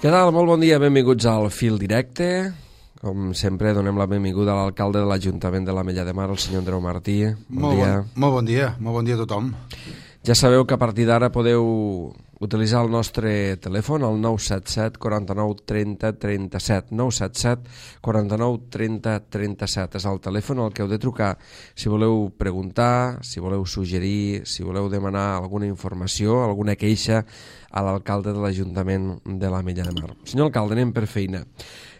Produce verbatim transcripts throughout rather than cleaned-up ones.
Què tal? Molt bon dia, benvinguts al Fil Directe. Com sempre, donem la benvinguda a l'alcalde de l'Ajuntament de l'Ametlla de Mar, el senyor Andreu Martí. Bon molt dia. Bon, molt bon dia, molt bon dia a tothom. Ja sabeu que a partir d'ara podeu utilitzar el nostre telèfon, el nou set set, quaranta-nou, trenta, trenta-set. nou set set, quaranta-nou, trenta, trenta-set. És el telèfon al que heu de trucar si voleu preguntar, si voleu suggerir, si voleu demanar alguna informació, alguna queixa a l'alcalde de l'Ajuntament de l'Ametlla de Mar. Senyor alcalde, anem per feina.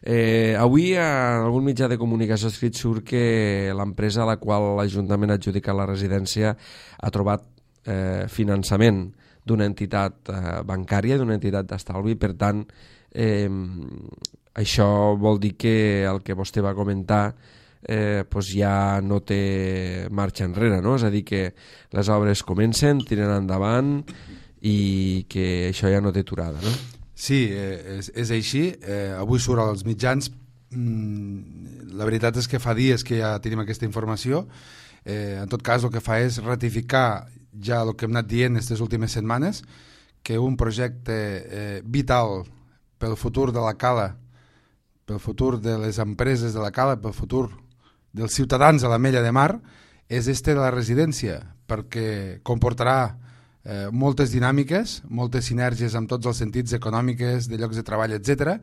Eh, avui a algun mitjà de comunicació escrit surt que l'empresa a la qual l'Ajuntament ha adjudicat la residència ha trobat eh, finançament d'una entitat eh, bancària, d'una entitat d'estalvi. Per tant, eh, això vol dir que el que vostè va comentar eh, pues ja no té marxa enrere, no? És a dir, que les obres comencen, tiren endavant i que això ja no té aturada, no? Sí, eh, és, és així. Eh, avui surt als mitjans. Mm, la veritat és que fa dies que ja tenim aquesta informació. Eh, en tot cas, el que fa és ratificar ja el que hem anat dient aquestes últimes setmanes, que un projecte eh, vital pel futur de la Cala, pel futur de les empreses de la Cala, pel futur dels ciutadans de l'Ametlla de Mar, és este de la residència, perquè comportarà eh, moltes dinàmiques, moltes sinergies amb tots els sentits econòmiques, de llocs de treball, etcètera,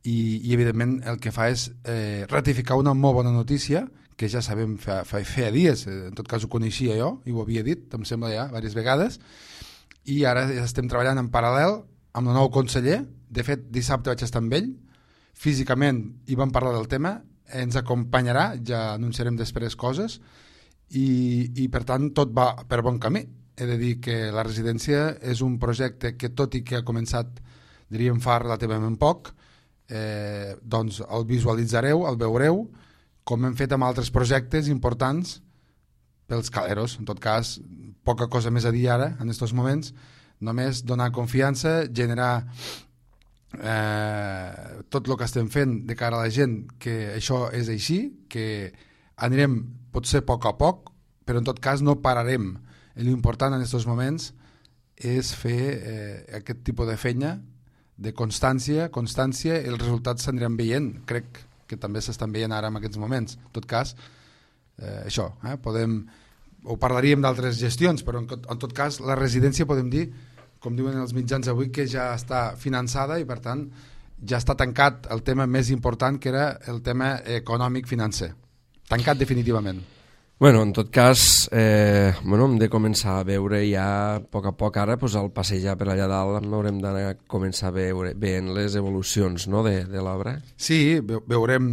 i, i evidentment el que fa és eh, ratificar una molt bona notícia, que ja sabem fa, fa, fa dies, en tot cas ho coneixia jo, i ho havia dit, em sembla ja, diverses vegades, i ara ja estem treballant en paral·lel amb el nou conseller. De fet, dissabte vaig estar amb ell, físicament hi vam parlar del tema, ens acompanyarà, ja anunciarem després coses, i, i per tant tot va per bon camí. He de dir que la residència és un projecte que, tot i que ha començat, diríem, fa relativament poc, eh, doncs el visualitzareu, el veureu, com hem fet amb altres projectes importants pels caleros. En tot cas, poca cosa més a dir ara, en aquests moments, només donar confiança, generar eh, tot el que estem fent de cara a la gent, que això és així, que anirem potser a poc a poc, però en tot cas no pararem. L'important en aquests moments és fer eh, aquest tipus de feina, de constància, constància, i els resultats s'aniran veient, crec que també s'estan veient ara en aquests moments. En tot cas, eh, això, eh, podem, ho parlaríem d'altres gestions, però en, en tot cas la residència podem dir, com diuen els mitjans avui, que ja està finançada i per tant ja està tancat el tema més important, que era el tema econòmic-financer. Tancat definitivament. Bueno, en tot cas, eh, bueno, hem de començar a veure ja a poc a poc ara, pues, al passejar per allà dalt haurem de començar a veure veient les evolucions, no, de, de l'obra. Sí, veurem,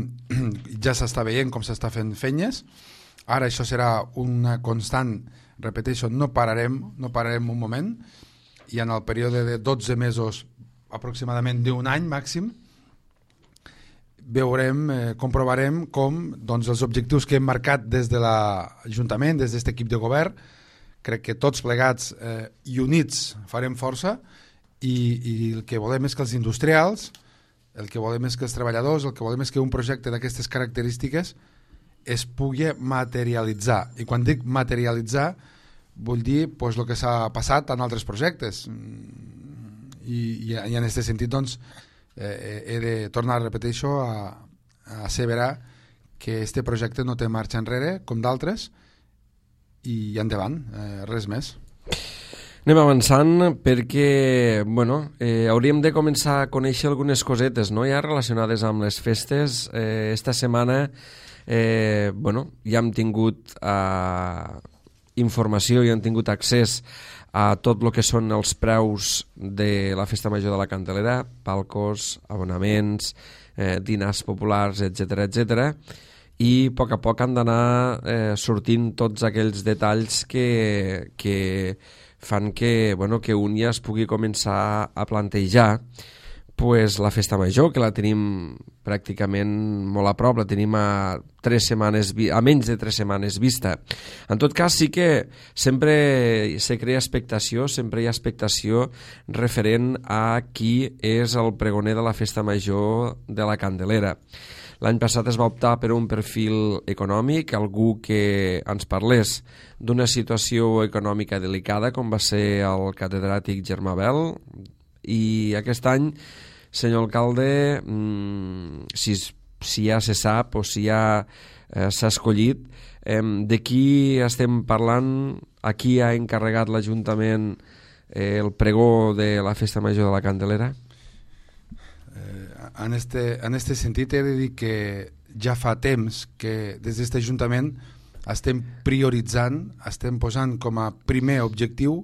ja s'està veient com s'està fent feines. Ara això serà una constant, repeteixo, no pararem, no pararem un moment, i en el període de dotze mesos, aproximadament d'un any màxim, veurem, eh, comprovarem com doncs, els objectius que hem marcat des de l'Ajuntament, des d'aquest equip de govern, crec que tots plegats eh, i units farem força, i, i el que volem és que els industrials, el que volem és que els treballadors, el que volem és que un projecte d'aquestes característiques es pugui materialitzar. I quan dic materialitzar vull dir pues, el que s'ha passat en altres projectes, i, i, i en aquest sentit doncs Eh, he de tornar a repetir això, a, a asseverar que este projecte no té marxa enrere com d'altres, i endavant, eh, res més. Anem avançant perquè bueno, eh, hauríem de començar a conèixer algunes cosetes, no? Ja relacionades amb les festes. Eh, esta setmana eh, bueno, ja hem tingut eh, informació, ja hem tingut accés a tot el que són els preus de la Festa Major de la Candelera, palcos, abonaments, eh, dinars populars, etcètera, etcètera, i a poc a poc han d'anar eh, sortint tots aquells detalls que, que fan que, bueno, que un ja es pugui començar a plantejar pues, la Festa Major, que la tenim pràcticament molt a prop, la tenim a, tres setmanes, a menys de tres setmanes vista. En tot cas, sí que sempre se crea expectació, sempre hi ha expectació referent a qui és el pregoner de la Festa Major de la Candelera. L'any passat es va optar per un perfil econòmic, algú que ens parlés d'una situació econòmica delicada, com va ser el catedràtic Germà Bel, i aquest any senyor alcalde, mmm, si, si ja se sap o si ja eh, s'ha escollit, eh, de qui estem parlant, a qui ha encarregat l'Ajuntament eh, el pregó de la Festa Major de la Candelera? Eh, en, este, en este sentit he de dir que ja fa temps que des d'aquest Ajuntament estem prioritzant, estem posant com a primer objectiu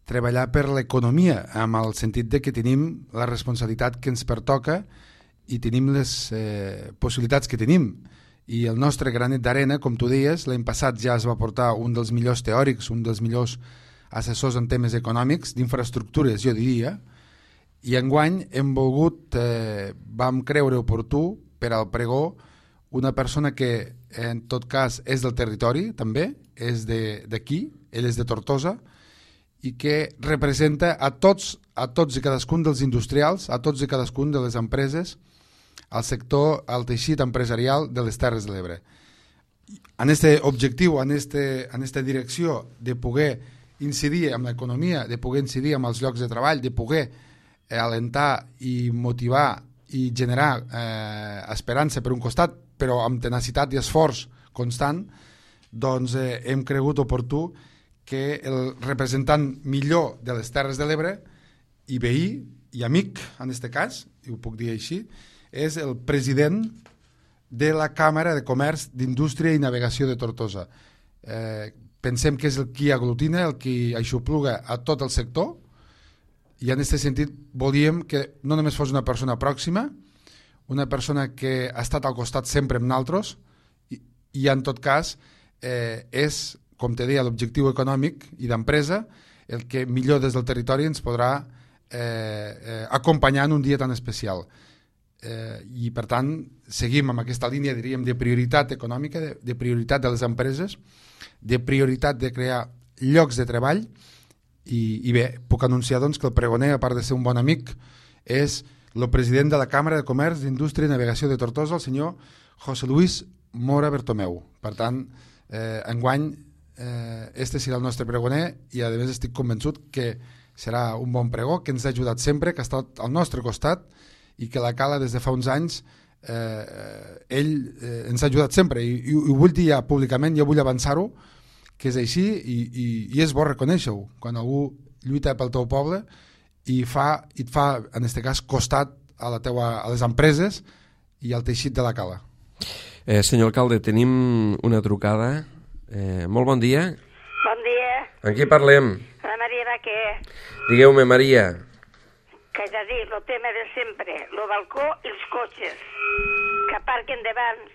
treballar per l'economia, amb el sentit de que tenim la responsabilitat que ens pertoca i tenim les eh, possibilitats que tenim. I el nostre granet d'arena, com tu deies, l'any passat ja es va portar un dels millors teòrics, un dels millors assessors en temes econòmics, d'infraestructures, jo diria, i enguany hem volgut, eh, vam creure oportú per al pregó una persona que en tot cas és del territori també, és d'aquí, ell és de Tortosa, i que representa a tots, a tots i cadascun dels industrials, a tots i cadascun de les empreses, al sector, al teixit empresarial de les Terres de l'Ebre. En aquest objectiu, en aquesta direcció de poder incidir en l'economia, de poder incidir en els llocs de treball, de poder alentar i motivar i generar eh, esperança per un costat, però amb tenacitat i esforç constant, doncs eh, hem cregut oportú que el representant millor de les Terres de l'Ebre i veí i amic, en aquest cas, i ho puc dir així, és el president de la Càmera de Comerç d'Indústria i Navegació de Tortosa. Eh, pensem que és el qui aglutina, el qui aixopluga a tot el sector, i en aquest sentit volíem que no només fos una persona pròxima, una persona que ha estat al costat sempre amb nosaltres, i, i en tot cas eh, és, com te deia, l'objectiu econòmic i d'empresa, el que millor des del territori ens podrà eh, eh, acompanyar en un dia tan especial. Eh, I per tant seguim amb aquesta línia, diríem, de prioritat econòmica, de, de prioritat de les empreses, de prioritat de crear llocs de treball, i, i bé, puc anunciar doncs, que el pregoner, a part de ser un bon amic, és el president de la Càmera de Comerç d'Indústria i Navegació de Tortosa, el senyor José Luis Mora Bertomeu. Per tant, eh, enguany eh, este serà el nostre pregoner, i a més estic convençut que serà un bon pregó, que ens ha ajudat sempre, que ha estat al nostre costat, i que la Cala des de fa uns anys eh, ell eh, ens ha ajudat sempre, i, i, i ho vull dir ja públicament, jo vull avançar-ho, que és així, i, i, i és bo reconèixer-ho quan algú lluita pel teu poble i fa, i et fa, en aquest cas, costat a, la teua, a les empreses i al teixit de la Cala. Eh, senyor alcalde, tenim una trucada. Eh, molt bon dia. Bon dia. Amb qui parlem? La Maria Baquer. Digueu-me, Maria. Que és a dir, el tema de sempre, el balcó i els cotxes, que aparquen davant,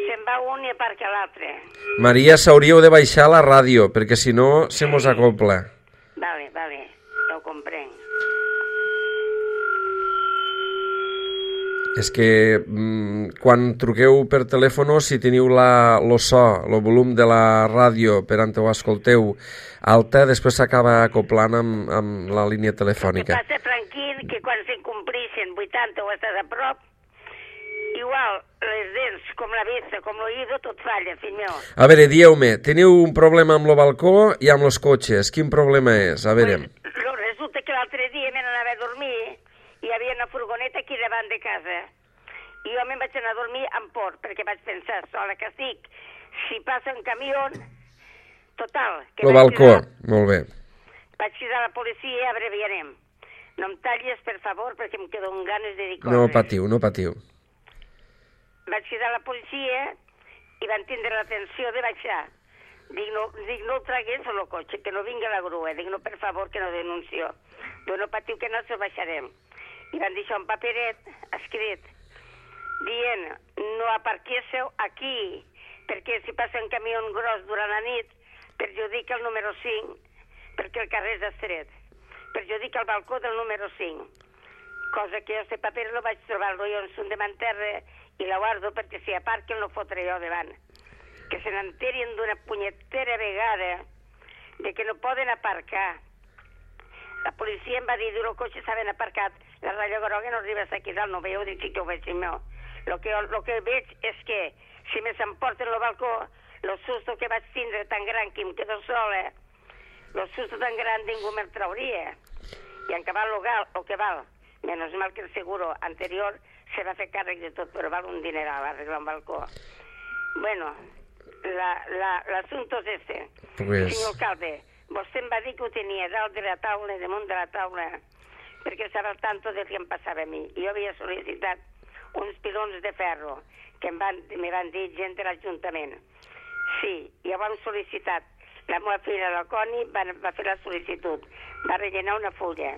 se'n va un i aparca l'altre. Maria, s'hauríeu de baixar la ràdio, perquè si no se mos acopla. Vale, vale, ja ho comprenc. És que mm, quan truqueu per telèfon, si teniu la, lo so, el volum de la ràdio per on ho escolteu alta, després s'acaba acoplant amb, amb la línia telefònica. El que passa, Franquín, que quan s'incomplixen vuitanta o estàs a prop, igual les dents, com la vista, com l'oïdo, tot falla, fill meu. A veure, dieu-me, teniu un problema amb el balcó i amb els cotxes. Quin problema és? A veure. Pues, resulta que l'altre dia me n'anava a dormir i hi havia una furgoneta aquí davant de casa. I jo me'n vaig anar a dormir amb por, perquè vaig pensar, sola que estic, si passa un camió, total. El balcó, cridar, molt bé. Vaig cridar a la policia i abreviarem. No em tallis, per favor, perquè em quedo amb ganes de dir coses. No patiu, no patiu. Vaig cridar a la policia i van tindre l'atenció de baixar. Dic, no, dic, no el tragués el cotxe, que no vingui la grua. Dic, no, per favor, que no denuncio. Diu, no patiu, que no se'l baixarem. I van deixar un paperet escrit dient, no aparquéssiu aquí, perquè si passa un camió gros durant la nit, perjudica el número cinc, perquè el carrer és estret. Perjudica el balcó del número cinc. Cosa que jo, este paper, lo vaig trobar-lo jo en son de manterra i la guardo perquè si aparquen lo fotré jo davant. Que se n'enterin d'una punyetera vegada de que no poden aparcar. La policia em va dir, diu, el cotxe s'havien aparcat, la ratlla groga no arriba aquí dalt, no veieu, dic, sí que ho veig, meu. Lo que, lo que veig és que si me s'emporten el balcó, el susto que vaig tindre tan gran que em quedo sola, el susto tan gran ningú me'l trauria. I en cabal lo, gal, el que val, menos mal que el seguro anterior se va fer càrrec de tot, però val un dineral arreglar un balcó. Bueno, l'assumpte és este. Pues... Senyor alcalde, vostè em va dir que ho tenia dalt de la taula, damunt de la taula, perquè estava al tanto del que em passava a mi. I jo havia sol·licitat uns pilons de ferro que em van, me van dir gent de l'Ajuntament. Sí, ja ho hem sol·licitat. La meva filla, la Coni, va, va fer la sol·licitud, va rellenar una fulla.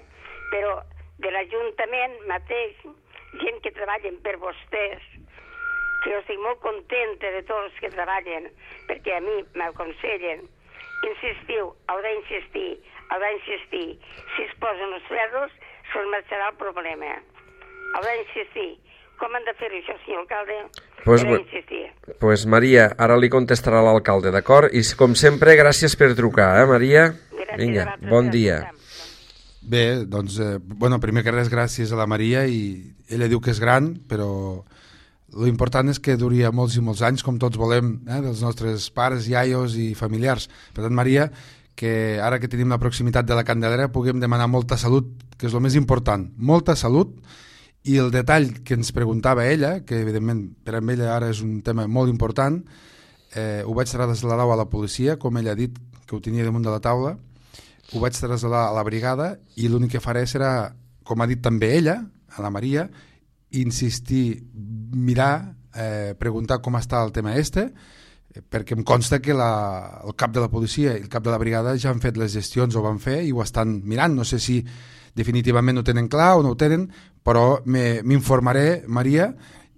Però de l'Ajuntament mateix, gent que treballen per vostès, que jo estic molt contenta de tots els que treballen, perquè a mi m'aconsellen, insistiu, heu d'insistir, heu d'insistir. Si es posen els ferros, se'ls marxarà el problema. Heu d'insistir. Com han de fer això, senyor alcalde? Pues, Heu d'insistir. Pues Maria, ara li contestarà l'alcalde, d'acord? I com sempre, gràcies per trucar, eh, Maria? Gràcies. Vinga, bon dia. Bé, doncs, eh, bueno, primer que res, gràcies a la Maria, i ella diu que és gran, però l'important és que duria molts i molts anys, com tots volem, eh, dels nostres pares, iaios i familiars. Per tant, Maria, que ara que tenim la proximitat de la Candelera puguem demanar molta salut, que és el més important, molta salut. I el detall que ens preguntava ella, que evidentment per a ella ara és un tema molt important, eh, ho vaig traslladar a la policia, com ella ha dit que ho tenia damunt de la taula, ho vaig traslladar a la brigada i l'únic que faré serà, com ha dit també ella, a la Maria, insistir, mirar, eh, preguntar com està el tema este, perquè em consta que la, el cap de la policia i el cap de la brigada ja han fet les gestions, ho van fer i ho estan mirant. No sé si definitivament ho tenen clar o no ho tenen, però m'informaré, Maria,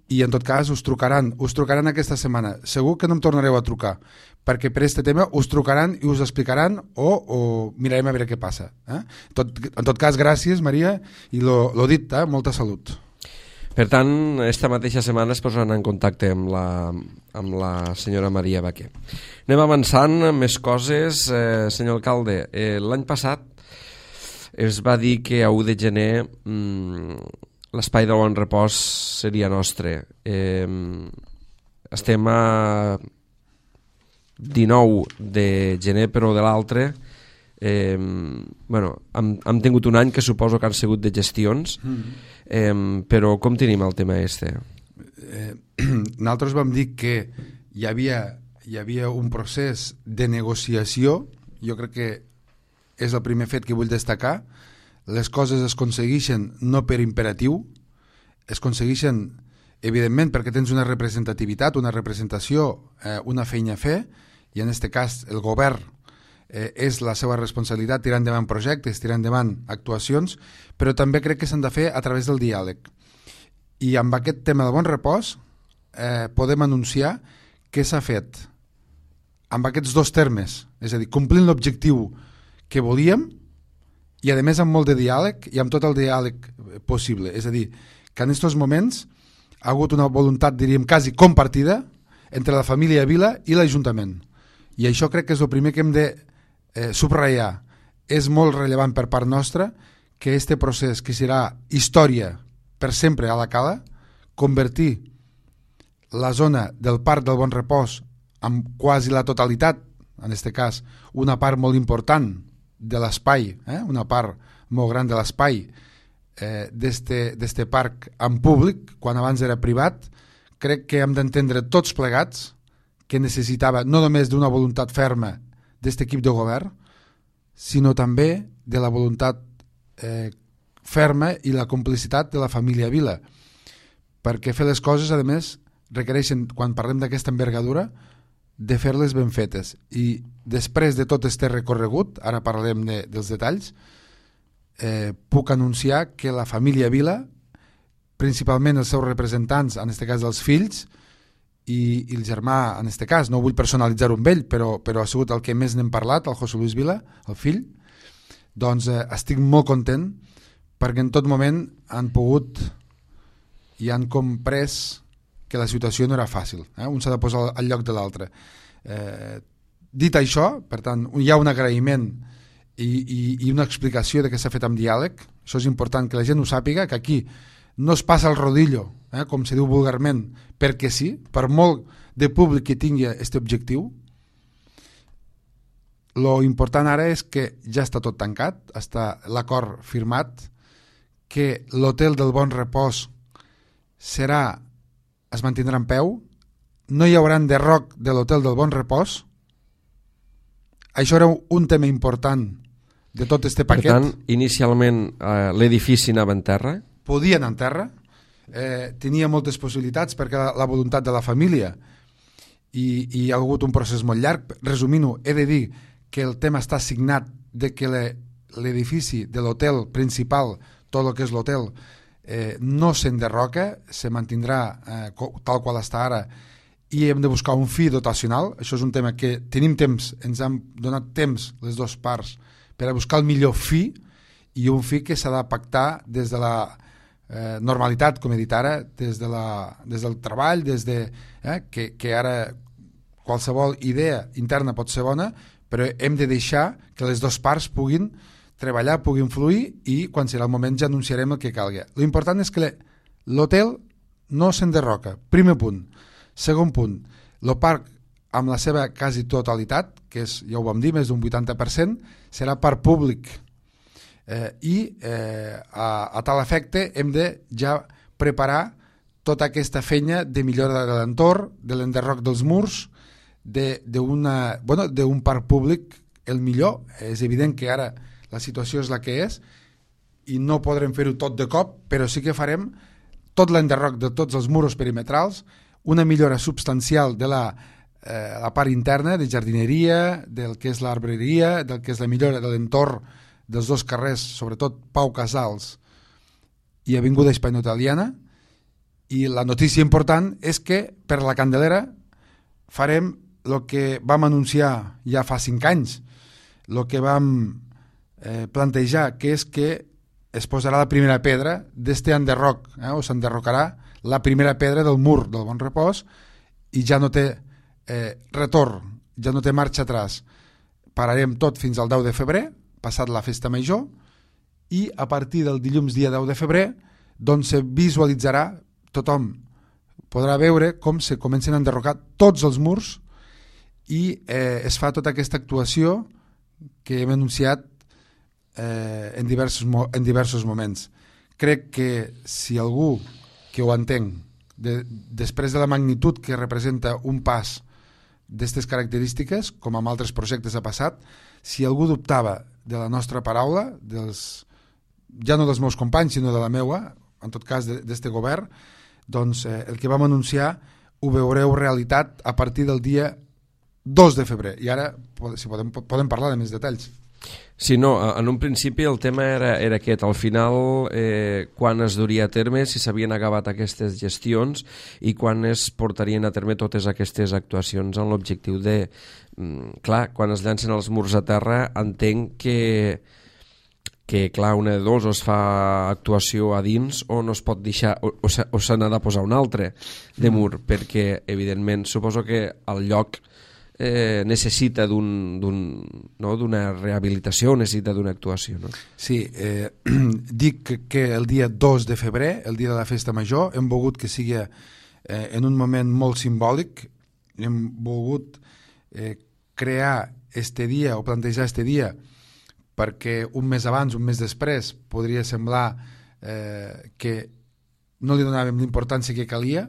i en tot cas us trucaran, us trucaran aquesta setmana. Segur que no em tornareu a trucar, perquè per aquest tema us trucaran i us explicaran o, o mirarem a veure què passa. Eh? Tot, en tot cas, gràcies, Maria, i lo, lo dit, eh? Molta salut. Per tant, esta mateixa setmana es posaran en contacte amb la, amb la senyora Maria Baquer. Anem avançant amb més coses. Eh, senyor alcalde, eh, l'any passat es va dir que a u de gener mmm, l'espai de bon repòs seria nostre. Eh, estem a dinou de gener, però de l'altre eh, bueno, hem, hem tingut un any que suposo que han sigut de gestions, mm. eh, però com tenim el tema este? Eh, nosaltres vam dir que hi havia, hi havia un procés de negociació. Jo crec que és el primer fet que vull destacar. Les coses es aconsegueixen no per imperatiu, es aconsegueixen evidentment perquè tens una representativitat, una representació, eh, una feina a fer, i en aquest cas el govern eh, és la seva responsabilitat tirar endavant projectes, tirar endavant actuacions, però també crec que s'han de fer a través del diàleg. I amb aquest tema de bon repòs eh, podem anunciar que s'ha fet amb aquests dos termes, és a dir, complint l'objectiu que volíem i a més amb molt de diàleg i amb tot el diàleg possible. És a dir, que en aquests moments ha hagut una voluntat, diríem, quasi compartida entre la família Vila i l'Ajuntament. I això crec que és el primer que hem de eh, subratllar. És molt rellevant per part nostra que este procés, que serà història per sempre a la Cala, convertir la zona del Parc del Bon Repòs amb quasi la totalitat, en aquest cas una part molt important de l'espai, eh? una part molt gran de l'espai eh, d'este parc en públic, quan abans era privat. Crec que hem d'entendre tots plegats que necessitava no només d'una voluntat ferma d'aquest equip de govern, sinó també de la voluntat eh, ferma i la complicitat de la família Vila, perquè fer les coses, a més, requereixen, quan parlem d'aquesta envergadura, de fer-les ben fetes. I després de tot este recorregut, ara parlarem de, dels detalls, eh, puc anunciar que la família Vila, principalment els seus representants, en aquest cas dels fills, i, i el germà, en aquest cas, no vull personalitzar un vell, però, però ha sigut el que més n'hem parlat, el José Luis Vila, el fill, doncs eh, estic molt content perquè en tot moment han pogut i han comprès que la situació no era fàcil, eh? Un s'ha de posar al lloc de l'altre. Eh, dit això, per tant, hi ha un agraïment i, i, i una explicació de què s'ha fet amb diàleg. Això és important que la gent ho sàpiga, que aquí no es passa el rodillo, eh? Com se diu vulgarment, perquè sí, per molt de públic que tingui aquest objectiu. Lo important ara és que ja està tot tancat, està l'acord firmat, que l'hotel del Bon Repòs serà, es mantindrà en peu, no hi haurà enderroc de l'hotel del Bon Repòs. Això era un tema important de tot este paquet. Per tant, inicialment eh, l'edifici anava en terra? Podia anar en terra, eh, tenia moltes possibilitats perquè la, la voluntat de la família i, i hi ha hagut un procés molt llarg. Resumint-ho, he de dir que el tema està signat de que l'edifici de l'hotel principal, tot el que és l'hotel, eh, no s'enderroca, se mantindrà eh, tal qual està ara, i hem de buscar un fi dotacional. Això és un tema que tenim temps, ens han donat temps les dues parts per a buscar el millor fi, i un fi que s'ha de pactar des de la eh, normalitat, com he dit ara, des, de la, des del treball, des de, eh, que, que ara qualsevol idea interna pot ser bona, però hem de deixar que les dues parts puguin treballar, puguin fluir, i quan serà el moment ja anunciarem el que calgui. L'important és que l'hotel no s'enderroca, primer punt. Segon punt, el parc amb la seva quasi totalitat, que és, ja ho vam dir, més d'un vuitanta per cent, serà parc públic. Eh, I eh, a, a tal efecte hem de ja preparar tota aquesta feina de millora de l'entorn, de l'enderroc dels murs, d'un bueno, parc públic el millor. És evident que ara la situació és la que és i no podrem fer-ho tot de cop, però sí que farem tot l'enderroc de tots els murs perimetrals, una millora substancial de la, eh, la part interna, de jardineria, del que és l'arbreria, del que és la millora de l'entorn dels dos carrers, sobretot Pau Casals i Avinguda Hispano-Italiana. I la notícia important és que per la Candelera farem el que vam anunciar ja fa cinc anys, el que vam eh, plantejar, que és que es posarà la primera pedra d'este enderroc, eh, o s'enderrocarà la primera pedra del mur del Bon Repòs, i ja no té eh, retorn, ja no té marxa atrás. Pararem tot fins al deu de febrer, passat la festa major, i a partir del dilluns dia deu de febrer doncs se visualitzarà, tothom podrà veure com se comencen a enderrocar tots els murs, i eh, es fa tota aquesta actuació que hem anunciat eh, en, diversos, en diversos moments. Crec que si algú que ho entenc, de, després de la magnitud que representa un pas d'aquestes característiques, com amb altres projectes ha passat, si algú dubtava de la nostra paraula, dels, ja no dels meus companys, sinó de la meua, en tot cas d'aquest govern, doncs eh, el que vam anunciar ho veureu realitat a partir del dia dos de febrer. I ara, si podem, podem parlar de més detalls. Sí, no, en un principi el tema era, era aquest, al final eh, quan es duria a terme, si s'havien acabat aquestes gestions i quan es portarien a terme totes aquestes actuacions amb l'objectiu de, mm, clar, quan es llancen els murs a terra, entenc que que clar, una de dos, o es fa actuació a dins o no es pot deixar, o, o, o se n'ha de posar un altre de mur, perquè evidentment suposo que el lloc eh, necessita d'un, d'un, no, d'una rehabilitació, necessita d'una actuació, no? Sí, eh, dic que, que el dia dos de febrer, el dia de la festa major, hem volgut que sigui eh, en un moment molt simbòlic, hem volgut eh, crear este dia o plantejar este dia perquè un mes abans, un mes després, podria semblar eh, que no li donàvem l'importància que calia,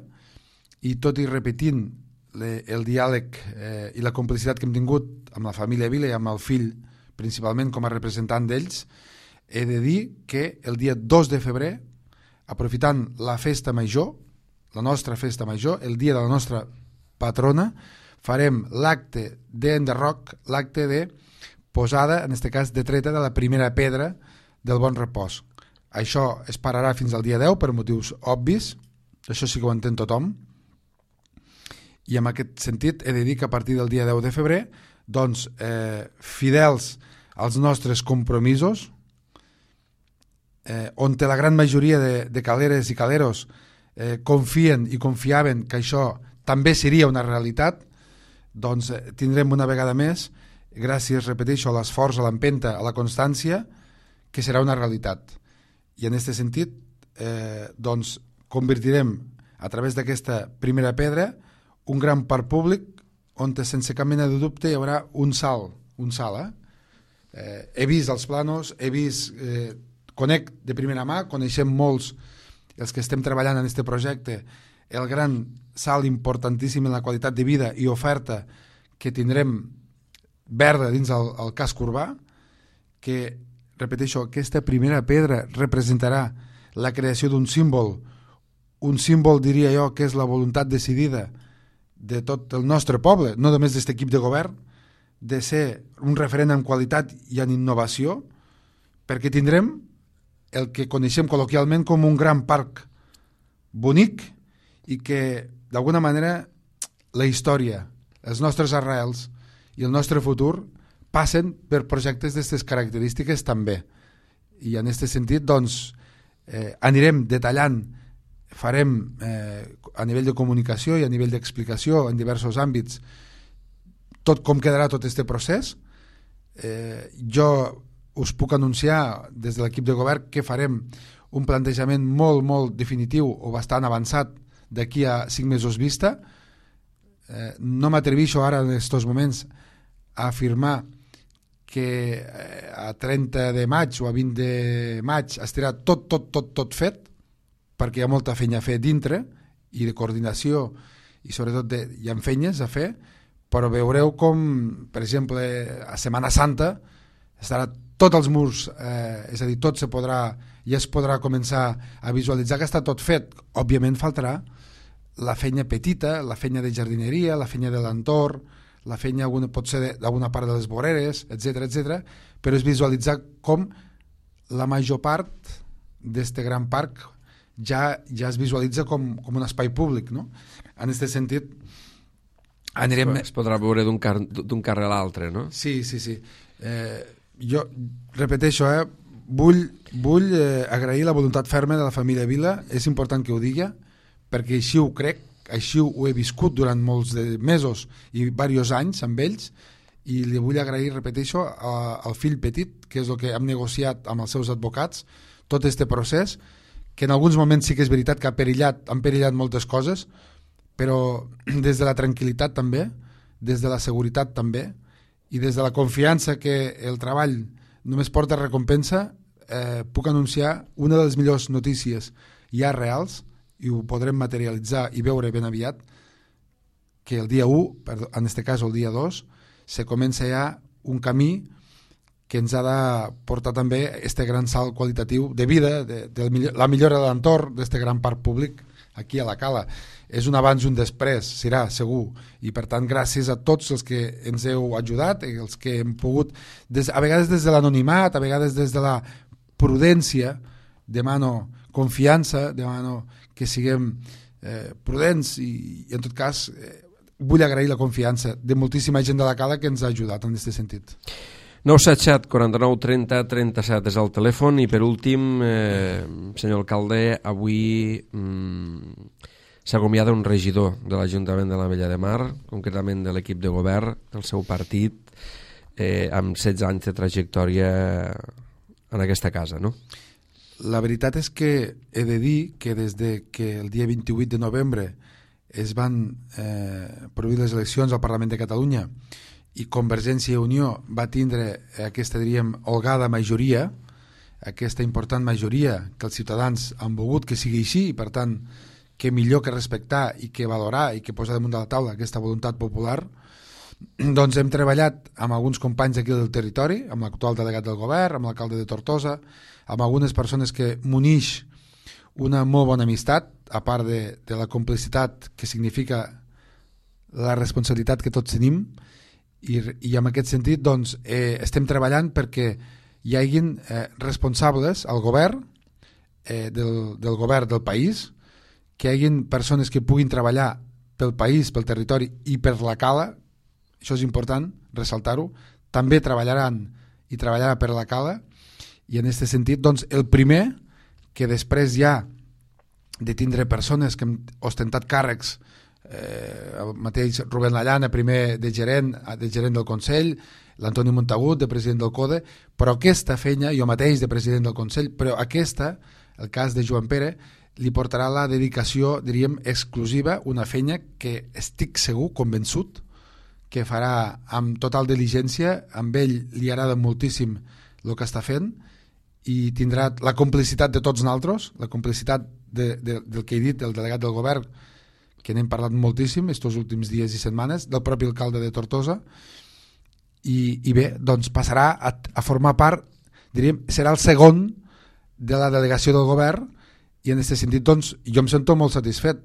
i tot i repetint le, el diàleg eh, i la complicitat que hem tingut amb la família Vila i amb el fill, principalment com a representant d'ells, he de dir que el dia dos de febrer, aprofitant la festa major, la nostra festa major, el dia de la nostra patrona, farem l'acte d'enderroc, l'acte de posada, en aquest cas de treta de la primera pedra del Bon Repòs. Això es pararà fins al dia deu per motius obvis, això sí que ho entén tothom, i en aquest sentit he de dir que a partir del dia deu de febrer, doncs, eh, fidels als nostres compromisos, eh, on la gran majoria de, de caleres i caleros eh, confien i confiaven que això també seria una realitat, doncs eh, tindrem una vegada més, gràcies, repeteixo, a l'esforç, a l'empenta, a la constància, que serà una realitat. I en aquest sentit, eh, doncs, convertirem a través d'aquesta primera pedra un gran parc públic on sense cap mena de dubte hi haurà un salt, un salt, eh? Eh, he vist els planos, he vist eh, conec de primera mà, coneixem molts els que estem treballant en aquest projecte, el gran salt importantíssim en la qualitat de vida i oferta que tindrem verda dins el, el casc urbà, que, repeteixo, aquesta primera pedra representarà la creació d'un símbol, un símbol, diria jo, que és la voluntat decidida de tot el nostre poble, no només d'aquest equip de govern, de ser un referent en qualitat i en innovació, perquè tindrem el que coneixem col·loquialment com un gran parc bonic i que, d'alguna manera, la història, els nostres arrels i el nostre futur passen per projectes d'aquestes característiques també. I en aquest sentit, doncs, eh, anirem detallant, farem eh, a nivell de comunicació i a nivell d'explicació en diversos àmbits tot com quedarà tot aquest procés. Eh, jo us puc anunciar des de l'equip de govern que farem un plantejament molt, molt definitiu o bastant avançat d'aquí a cinc mesos vista. Eh, no m'atreveixo ara en aquests moments a afirmar que a trenta de maig o a vint de maig estarà tot, tot, tot, tot fet, perquè hi ha molta feina a fer dintre i de coordinació i sobretot de, hi ha feines a fer, però veureu com, per exemple, a Setmana Santa estarà tots els murs, eh, és a dir, tot se podrà, ja es podrà començar a visualitzar que està tot fet. Òbviament faltarà la feina petita, la feina de jardineria, la feina de l'entorn, la feina alguna, pot ser d'alguna part de les voreres, etcètera, etcètera, però és visualitzar com la major part d'aquest gran parc ja, ja es visualitza com, com un espai públic, no? En aquest sentit, anirem... Es podrà veure d'un car d'un carrer a l'altre, no? Sí, sí, sí. Eh, jo repeteixo, eh, vull, vull eh, agrair la voluntat ferma de la família Vila, és important que ho digui, perquè així ho crec, així ho he viscut durant molts de mesos i diversos anys amb ells, i li vull agrair, repeteixo, a, al fill petit, que és el que hem negociat amb els seus advocats, tot aquest procés, que en alguns moments sí que és veritat que ha perillat, han perillat moltes coses, però des de la tranquil·litat també, des de la seguretat també, i des de la confiança que el treball només porta recompensa, eh, puc anunciar una de les millors notícies ja reals, i ho podrem materialitzar i veure ben aviat, que el dia u, en aquest cas el dia dos, se comença ja un camí que ens ha de portar també este gran salt qualitatiu de vida, de, de la millora de l'entorn d'aquest gran parc públic aquí a la Cala. És un abans i un després, serà segur, i per tant gràcies a tots els que ens heu ajudat, els que hem pogut, des, a vegades des de l'anonimat, a vegades des de la prudència, demano confiança, demano que siguem eh, prudents i, i en tot cas eh, vull agrair la confiança de moltíssima gent de la Cala que ens ha ajudat en aquest sentit. nou set set, quaranta-nou, trenta, trenta-set és el telèfon i per últim, eh, senyor alcalde, avui mm, s'acomiada un regidor de l'Ajuntament de l'Ametlla de Mar, concretament de l'equip de govern del seu partit, eh, amb setze anys de trajectòria en aquesta casa, no? La veritat és que he de dir que des de que el dia vint-i-vuit de novembre es van eh, prohibir les eleccions al Parlament de Catalunya i Convergència i Unió va tindre aquesta, diríem, holgada majoria, aquesta important majoria que els ciutadans han volgut que sigui així i per tant que millor que respectar i que valorar i que posar damunt de la taula aquesta voluntat popular, doncs hem treballat amb alguns companys aquí del territori, amb l'actual delegat del govern, amb l'alcalde de Tortosa, amb algunes persones que m'unix una molt bona amistat, a part de, de la complicitat que significa la responsabilitat que tots tenim, i, i en aquest sentit doncs, eh, estem treballant perquè hi haguin eh, responsables al govern, eh, del, del govern del país, que hi haguin persones que puguin treballar pel país, pel territori i per la Cala, això és important ressaltar-ho, també treballaran i treballarà per la Cala, i en aquest sentit, doncs, el primer, que després ja de tindre persones que han ostentat càrrecs, eh, el mateix Rubén Lallana, primer de gerent, de gerent del Consell, l'Antoni Montagut, de president del CODE, però aquesta feina, jo mateix de president del Consell, però aquesta, el cas de Joan Pere, li portarà la dedicació, diríem, exclusiva, una feina que estic segur, convençut, que farà amb total diligència, amb ell li agrada moltíssim el que està fent, i tindrà la complicitat de tots nosaltres, la complicitat de, de, del que he dit, del delegat del govern, que n'hem parlat moltíssim estos últims dies i setmanes, del propi alcalde de Tortosa, i, i bé, doncs passarà a, a formar part, diríem, serà el segon de la delegació del govern, i en aquest sentit doncs, jo em sento molt satisfet.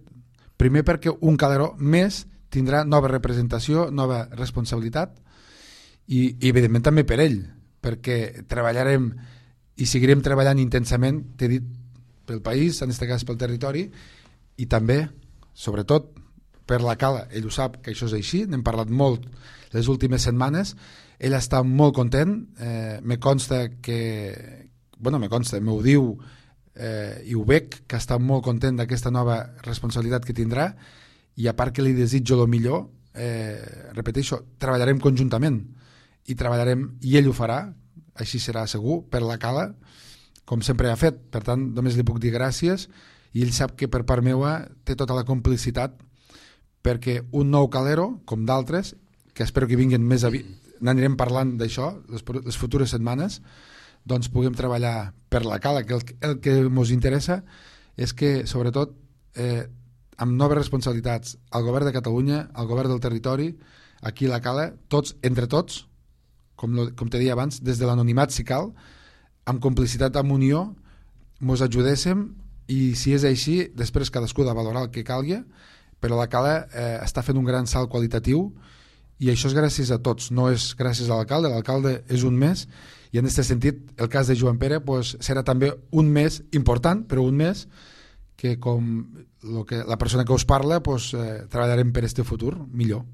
Primer perquè un Calderó més tindrà nova representació, nova responsabilitat, i, i evidentment també per ell, perquè treballarem i seguirem treballant intensament, t'he dit, pel país, en aquest cas pel territori, i també, sobretot, per la Cala. Ell ho sap que això és així, n'hem parlat molt les últimes setmanes, ell està molt content, eh, me consta que, bueno, me consta, m'ho diu, eh, i ho veig, que està molt content d'aquesta nova responsabilitat que tindrà, i a part que li desitjo el millor, eh, repeteixo, treballarem conjuntament, i treballarem, i ell ho farà, així serà segur, per la Cala, com sempre ha fet. Per tant, només li puc dir gràcies, i ell sap que per part meua té tota la complicitat perquè un nou Calero, com d'altres, que espero que vinguin més aviat, n'anirem parlant d'això les, les futures setmanes, doncs puguem treballar per la Cala, que el, el que ens interessa és que, sobretot, eh, amb noves responsabilitats, el govern de Catalunya, el govern del territori, aquí a la Cala, tots, entre tots, com, lo, com te deia abans, des de l'anonimat si cal, amb complicitat, amb unió, mos ajudéssim, i si és així, després cadascú de valorar el que calgui, però la Cala eh, està fent un gran salt qualitatiu, i això és gràcies a tots, no és gràcies a l'alcalde, l'alcalde és un més, i en aquest sentit, el cas de Joan Pere pues, serà també un més important, però un més que com lo que, la persona que us parla pues, eh, treballarem per este futur millor.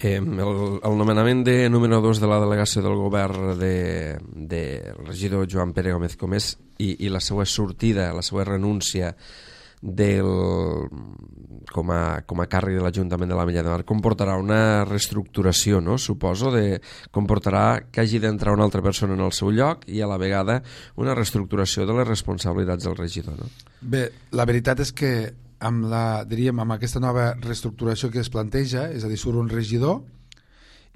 Eh, el, el nomenament de número dos de la delegació del govern de, de regidor Joan Pere Gómez Comés i, i la seva sortida, la seva renúncia del, com, a, com a càrrec de l'Ajuntament de l'Ametlla de Mar comportarà una reestructuració, no? Suposo, de, comportarà que hagi d'entrar una altra persona en el seu lloc i a la vegada una reestructuració de les responsabilitats del regidor, no? Bé, la veritat és que amb, la, diríem, amb aquesta nova reestructuració que es planteja, és a dir, surt un regidor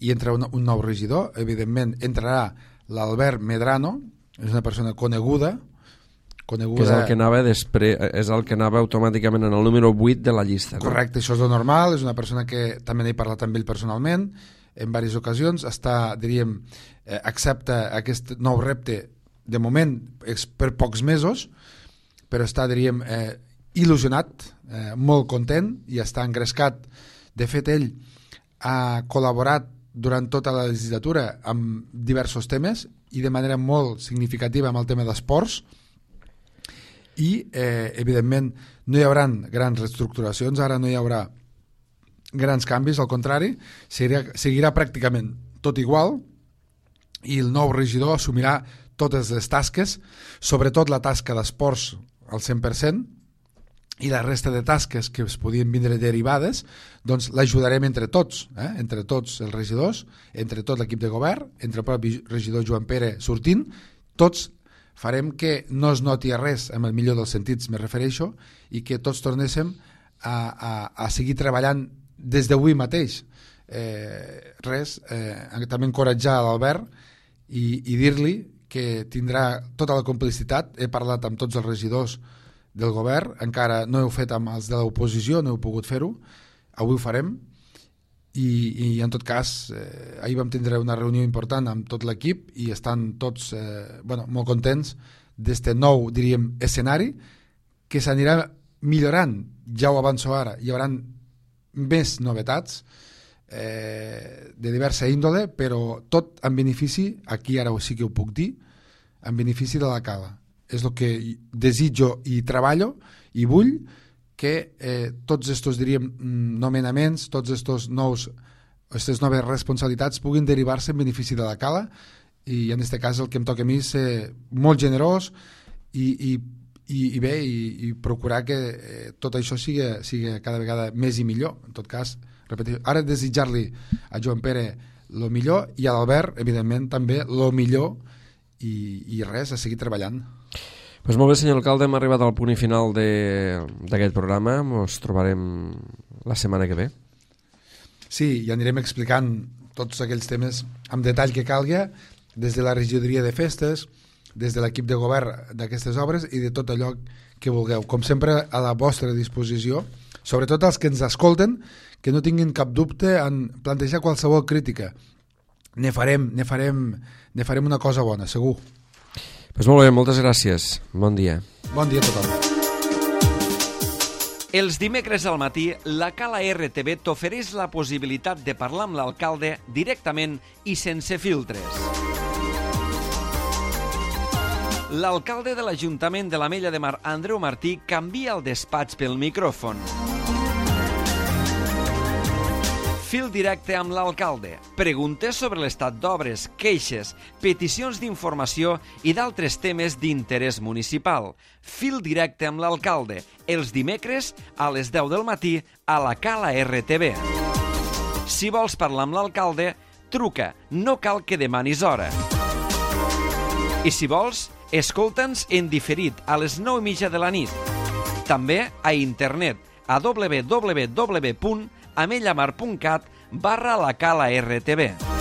i entra un, un nou regidor, evidentment entrarà l'Albert Medrano, és una persona coneguda, coneguda... Que és el que anava després, és el que anava automàticament en el número vuit de la llista. No? Correcte, això és lo normal, és una persona que també n'he parlat amb ell personalment, en diverses ocasions, està, diríem, eh, accepta aquest nou repte, de moment, per pocs mesos, però està, diríem, eh, il·lusionat, eh, molt content i està engrescat. De fet, ell ha col·laborat durant tota la legislatura amb diversos temes i de manera molt significativa amb el tema d'esports i, eh, evidentment, no hi haurà grans reestructuracions, ara no hi haurà grans canvis, al contrari, seguirà, seguirà pràcticament tot igual i el nou regidor assumirà totes les tasques, sobretot la tasca d'esports al cent per cent, i la resta de tasques que es podien vindre derivades, doncs l'ajudarem entre tots, eh? entre tots els regidors, entre tot l'equip de govern, entre el propi regidor Joan Pere sortint, tots farem que no es noti res, amb el millor dels sentits me refereixo, i que tots tornéssim a, a, a seguir treballant des d'avui mateix. Eh, res, eh, també encoratjar l'Albert i, i dir-li que tindrà tota la complicitat. He parlat amb tots els regidors del govern, encara no heu fet amb els de l'oposició, no heu pogut fer-ho, avui ho farem, i, i en tot cas eh, ahir vam tindre una reunió important amb tot l'equip i estan tots eh, bueno, molt contents d'este nou, diríem, escenari que s'anirà millorant, ja ho avanço ara, hi haurà més novetats eh, de diversa índole, però tot en benefici, aquí ara sí que ho puc dir, en benefici de la Cala. És el que desitjo i treballo i vull que eh, tots estos, diríem, nomenaments, tots estos nous, aquestes noves responsabilitats puguin derivar-se en benefici de la Cala i en aquest cas el que em toca a mi és ser molt generós i, i, i, i bé, i, i procurar que eh, tot això sigui, sigui cada vegada més i millor. En tot cas, repeteixo, ara desitjar-li a Joan Pere el millor i a l'Albert, evidentment, també el millor i, i res, a seguir treballant. Pues molt bé, senyor alcalde, hem arribat al punt i final d'aquest programa. Ens trobarem la setmana que ve. Sí, i anirem explicant tots aquells temes amb detall que calgui, des de la regidoria de festes, des de l'equip de govern d'aquestes obres i de tot allò que vulgueu. Com sempre, a la vostra disposició, sobretot els que ens escolten, que no tinguin cap dubte en plantejar qualsevol crítica. Ne farem, ne farem, ne farem una cosa bona, segur. Pues molt bé, moltes gràcies. Bon dia. Bon dia a tothom. Els dimecres al matí, la Cala R T V t'ofereix la possibilitat de parlar amb l'alcalde directament i sense filtres. L'alcalde de l'Ajuntament de l'Ametlla de Mar, Andreu Martí, canvia el despatx pel micròfon. Fil directe amb l'alcalde. Preguntes sobre l'estat d'obres, queixes, peticions d'informació i d'altres temes d'interès municipal. Fil directe amb l'alcalde. Els dimecres a les deu del matí a la Cala R T V. Si vols parlar amb l'alcalde, truca. No cal que demanis hora. I si vols, escolta'ns en diferit a les nou i mitja de la nit. També a internet a w w w punt amellamar punt cat barra la Cala R T V.